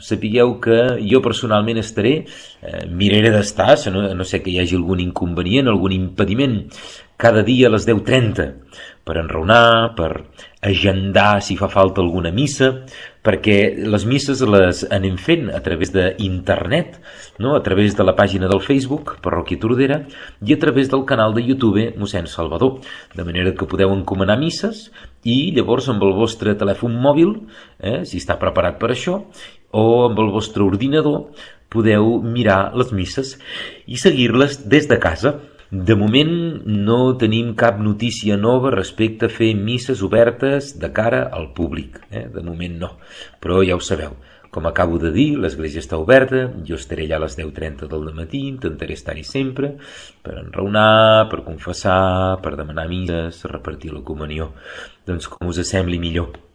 sapigueu que jo personalment estaré, miraré d'estar, no sé que hi hagi algun inconvenient, algun impediment, cada dia a les 10:30, per enraonar, per agendar si fa falta alguna missa, perquè les misses les anem fent a través d'internet, no? A través de la pàgina del Facebook, Parròquia Tordera, i a través del canal de YouTube mossèn Salvador, de manera que podeu encomanar misses i llavors amb el vostre telèfon mòbil, si està preparat per això, o amb el vostre ordinador podeu mirar les misses i seguir-les des de casa. De moment no tenim cap notícia nova respecte a fer misses obertes de cara al públic, de moment no, però ja ho sabeu, com acabo de dir, l'església està oberta, jo estaré allà a les 10:30 del matí, intentaré estar-hi sempre per enraonar, per confessar, per demanar misses, repartir la comunió, doncs com us sembli millor.